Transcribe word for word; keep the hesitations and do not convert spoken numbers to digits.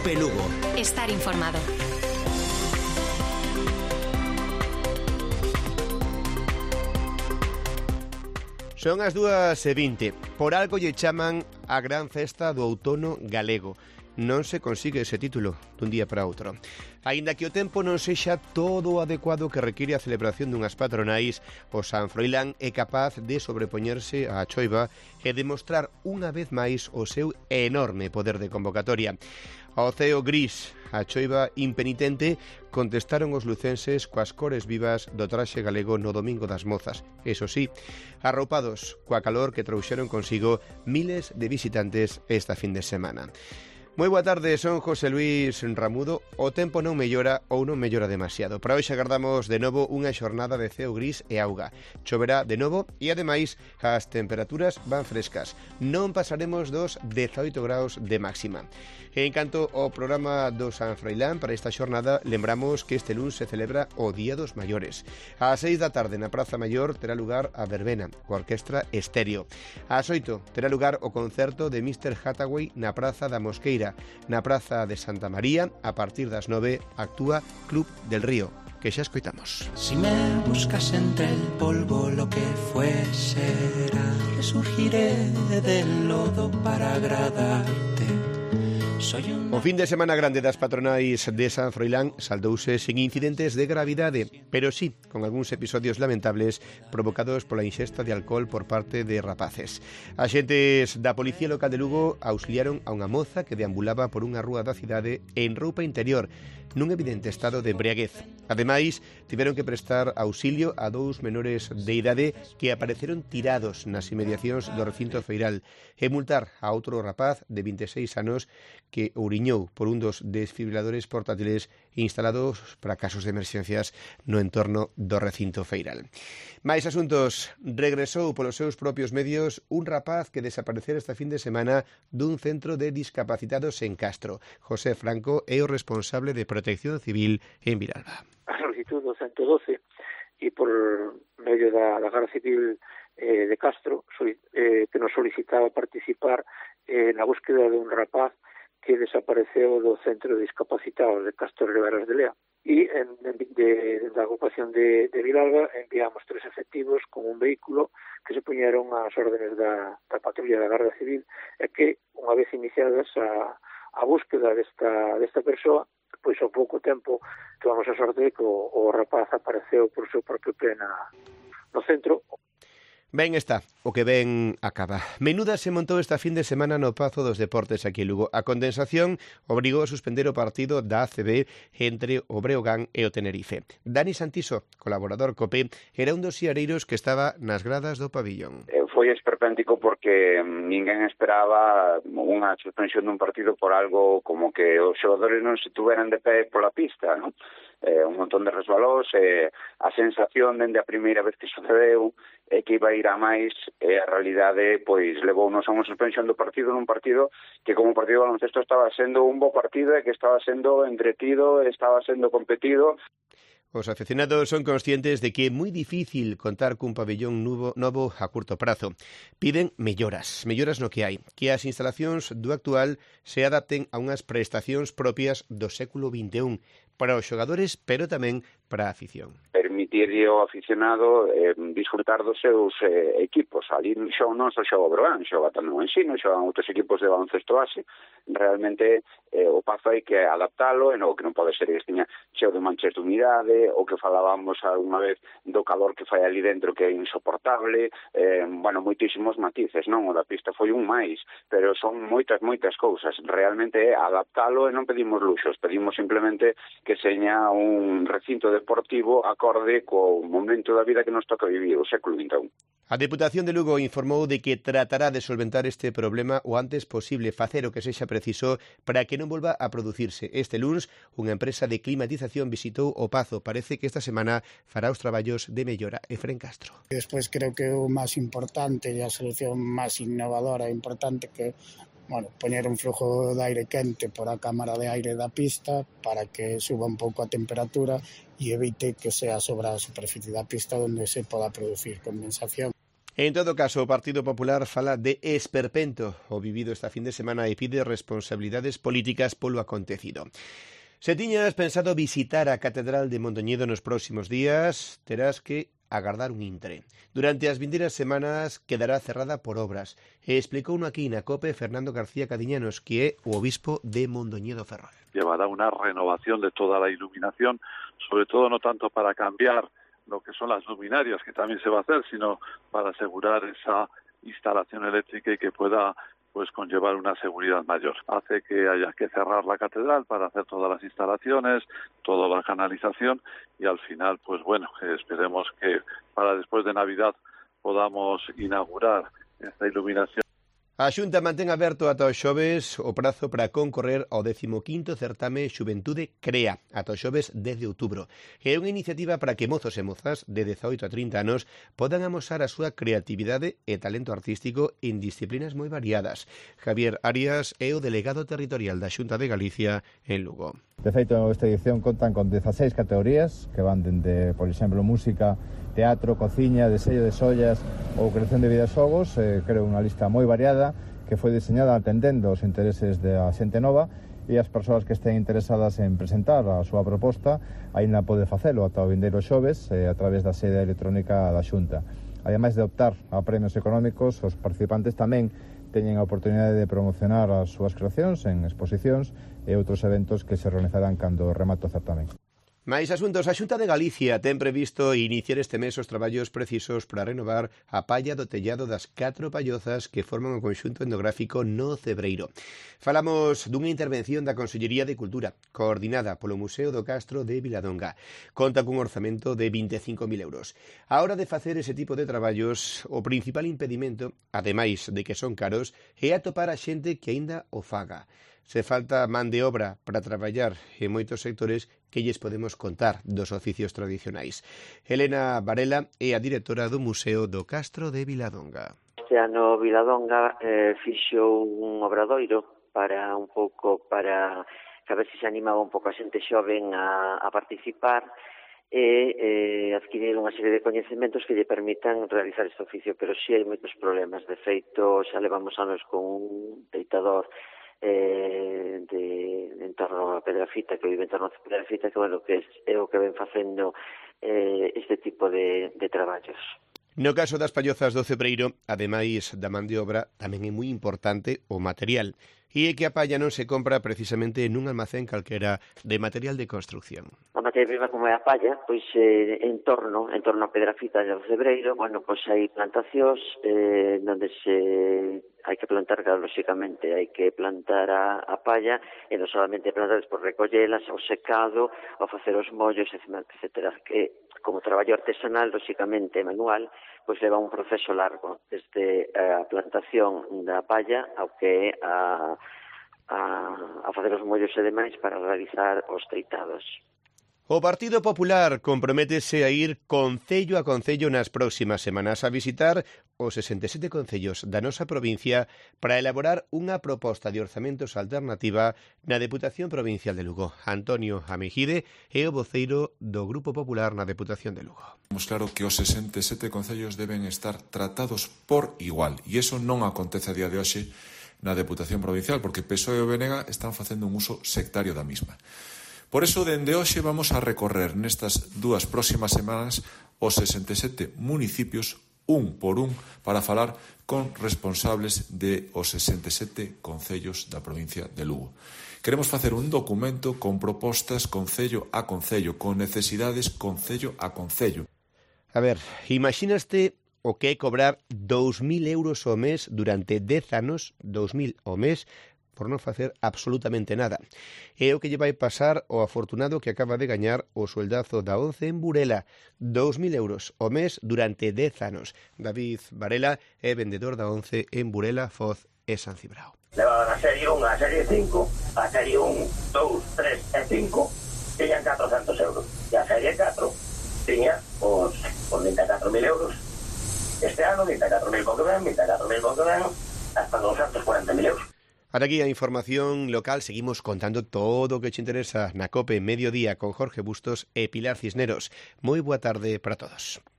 Cope Lugo. Estar informado. Son as dúas e vinte. Por algo lle chaman a gran festa do outono galego. Non se consigue ese título dun día para outro. Aínda que o tempo non sexa todo o adecuado que require a celebración dunhas patronais, o San Froilán é capaz de sobrepoñerse á choiva e demostrar unha vez máis o seu enorme poder de convocatoria. Ao ceo gris, a choiva impenitente, contestaron os lucenses coas cores vivas do traxe galego no Domingo das Mozas. Eso sí, arroupados coa calor que trouxeron consigo miles de visitantes esta fin de semana. Moi boa tarde, son José Luis Ramudo. O tempo non mellora ou non mellora demasiado. Para hoxe agardamos de novo unha xornada de ceo gris e auga. Choverá de novo e, ademais, as temperaturas van frescas. Non pasaremos dos dezaoito graus de máxima. En canto ao programa do San Froilán para esta xornada, lembramos que este luns se celebra o Día dos Maiores. Ás seis da tarde na Praza Maior terá lugar a verbena, coa orquestra Estéreo. Ás oito terá lugar o concerto de mister Hathaway na Praza da Mosqueira. Na Praza de Santa María, a partir das nove, actúa Club del Río, que xa escoitamos. Si me buscas entre el polvo, lo que fue será. Resurgiré del lodo para agradarte. O fin de semana grande das patronais de San Froilán saldouse sen incidentes de gravidade, pero sí con algúns episodios lamentables provocados pola ingesta de alcohol por parte de rapaces. Axentes da Policía Local de Lugo auxiliaron a unha moza que deambulaba por unha rúa da cidade en roupa interior, nun evidente estado de embriaguez. Ademais, tiveron que prestar auxilio a dous menores de idade que apareceron tirados nas inmediacións do recinto feiral e multar a outro rapaz de vinte e seis anos que ouriñou por un dos desfibriladores portátiles instalados para casos de emerxencias no entorno do recinto feiral. Mais asuntos. Regresou polos seus propios medios un rapaz que desaparecera esta fin de semana dun centro de discapacitados en Castro. José Franco é o responsable de Protección Civil en Viralba. A solicitud do ciento doce e por medio da, da Garda Civil eh, de Castro eh, que nos solicitaba participar eh, na búsqueda de un rapaz que desapareceu do centro de discapacitados de Castro Riberas de Lea. E en, en, de, da ocupación de, de Vilalba enviamos tres efectivos con un vehículo que se poñeron ás órdenes da, da patrulla da Garda Civil e que, unha vez iniciadas a, a búsqueda desta, desta persoa, pois ao pouco tempo tuvamos a sorte de que o, o rapaz apareceu por seu propio pé na, no centro. Ben está, o que ben acaba. Menuda se montou esta fin de semana no Pazo dos Deportes aquí en Lugo. A condensación obrigou a suspender o partido da A C B entre o Breogán e o Tenerife. Dani Santiso, colaborador COPE, era un dos siareiros que estaba nas gradas do pabillón. Foi esperpéntico porque ninguén esperaba unha suspensión dun partido por algo como que os xogadores non se tuveran de pé pola pista, non? Eh, un montón de resbalós, eh, a sensación dende a primeira vez que sucedeu é que iba a ir a máis e a realidade pois levounos a unha suspensión do partido nun partido que como partido de baloncesto estaba sendo un bo partido e que estaba sendo entretido, estaba sendo competido. Os aficionados son conscientes de que é moi difícil contar cun pabellón novo, novo a curto prazo. Piden melloras, melloras no que hai, que as instalacións do actual se adapten a unhas prestacións propias do século vinte e un para os xogadores, pero tamén para a afición. Permitirlle ao aficionado eh, disfrutar dos seus eh, equipos. Ali xo, non só xoga o Breogán, xoga tamén o Ensino, xogan outros equipos de baloncesto base. Realmente eh, o Pazo hai que adaptalo, e non, que non pode ser que estiña cheo de manchas de humidade, o que falábamos alguna vez do calor que fai ali dentro que é insoportable, eh, bueno, moitísimos matices, non? O da pista foi un máis, pero son moitas, moitas cousas. Realmente é adaptalo e non pedimos luxos, pedimos simplemente que seña un recinto deportivo acorde co momento da vida que nos toca vivir, o século vinte e un. A Deputación de Lugo informou de que tratará de solventar este problema o antes posible, facer o que sexa preciso para que non volva a producirse. Este luns, unha empresa de climatización visitou o Pazo. Parece que esta semana fará os traballos de mellora. Efrén Castro. Despois creo que o máis importante e a solución máis innovadora e importante que bueno, poñer un flujo de aire quente por a cámara de aire da pista para que suba un pouco a temperatura e evite que sea sobre a superficie da pista onde se poda producir condensación. En todo caso, o Partido Popular fala de esperpento o vivido esta fin de semana e pide responsabilidades políticas polo acontecido. Se tiñas pensado visitar a Catedral de Mondoñedo nos próximos días, terás que agardar un intre. Durante as vindeiras semanas quedará cerrada por obras. E explicou no aquí na COPE Fernando García Cadiñanos, que é o obispo de Mondoñedo Ferrol. Llevará una renovación de toda la iluminación, sobre todo no tanto para cambiar lo que son las luminarias, que también se va a hacer, sino para asegurar esa instalación eléctrica y que pueda pues conllevar una seguridad mayor. Hace que haya que cerrar la catedral para hacer todas las instalaciones, toda la canalización y al final, pues bueno, esperemos que para después de Navidad podamos inaugurar esta iluminación. A Xunta mantén aberto ata o xoves o prazo para concorrer ao décimo quinto certame Xuventude Crea, ata o xoves dez de outubro. É unha iniciativa para que mozos e mozas de dezaoito a trinta anos podan amosar a súa creatividade e talento artístico en disciplinas moi variadas. Javier Arias é o delegado territorial da Xunta de Galicia en Lugo. De feito, esta edición contan con dezaseis categorías que van dende, por exemplo, música, teatro, cociña, desello de sollas ou creación de videoxogos. Eh, creo unha lista moi variada que foi diseñada atendendo os intereses da xente nova e as persoas que estén interesadas en presentar a súa proposta aínda pode facelo ata o vindeiro xoves eh, a través da sede electrónica da Xunta. Ademais de optar a premios económicos, os participantes tamén teñen a oportunidade de promocionar as súas creacións en exposicións e outros eventos que se realizarán cando remate o certamen. Mais asuntos, a Xunta de Galicia ten previsto iniciar este mes os traballos precisos para renovar a palla do tellado das catro pallozas que forman o conxunto etnográfico no Cebreiro. Falamos dunha intervención da Consellería de Cultura, coordinada polo Museo do Castro de Viladonga. Conta cun orzamento de vinte e cinco mil euros. A hora de facer ese tipo de traballos, o principal impedimento, ademais de que son caros, é atopar a xente que aínda o faga. Se falta man de obra para traballar en moitos sectores que lles podemos contar dos oficios tradicionais. Elena Varela é a directora do Museo do Castro de Viladonga. Este ano Viladonga eh, fixo un obradoiro para un pouco para que a ver se se animaba un pouco a xente xoven a, a participar e eh, adquirir unha serie de coñecementos que lle permitan realizar este oficio, pero si sí hai moitos problemas. De feito, xa levamos anos con un deitador eh, de, de en torno a Pedrafita, que vive en torno a Pedrafita, que bueno, que é, é o que ven facendo eh, este tipo de, de traballos. No caso das pallozas do Cebreiro, ademais da man de obra, tamén é moi importante o material. E é que a palla non se compra precisamente nun almacén calquera de material de construcción. A materia prima como é a palla, pois eh, en torno, en torno a Pedrafita do Cebreiro, bueno, pois hai plantacións eh, onde se hai que plantar, claro, lóxicamente, hai que plantar a, a palla e non solamente plantar, por recollelas, ao secado, ao facer os mollos, etcétera, que como traballo artesanal, lóxicamente manual, pois leva un proceso largo, desde a plantación da palla ao que é a, a, a facer os mollos e demais para realizar os treitados. O Partido Popular comprométese a ir concello a concello nas próximas semanas a visitar os sesenta e sete concellos da nosa provincia para elaborar unha proposta de orzamentos alternativa na Deputación Provincial de Lugo. Antonio Amejide é o voceiro do Grupo Popular na Deputación de Lugo. Temos claro que os sesenta e sete concellos deben estar tratados por igual e iso non acontece a día de hoxe na Deputación Provincial porque P S O E e o B N G están facendo un uso sectario da mesma. Por eso, dende hoxe vamos a recorrer nestas dúas próximas semanas os sesenta e sete municipios, un por un, para falar con responsables de os sesenta e sete concellos da provincia de Lugo. Queremos facer un documento con propostas concello a concello, con necesidades concello a concello. A ver, imaginaste o que é cobrar dous mil euros ao mes durante dez anos, dous mil ao mes, por non facer absolutamente nada. É o que lle vai pasar ao afortunado que acaba de gañar o sueldazo da once en Burela, dous mil euros ao mes durante dez anos. David Varela é vendedor da once en Burela, Foz e San Cibrao. Levaban a serie un, a serie cinco, a serie un, dous, tres e cinco, tiñan catrocentos euros. E a serie catro tiña os, os vinte e catro mil euros. Este ano, vinte e catro mil con que ven, vinte e catro mil con que ven, hasta doscientos cuarenta mil euros. Ata aquí a información local, seguimos contando todo o que te interesa na COPE Mediodía con Jorge Bustos e Pilar Cisneros. Moi boa tarde para todos.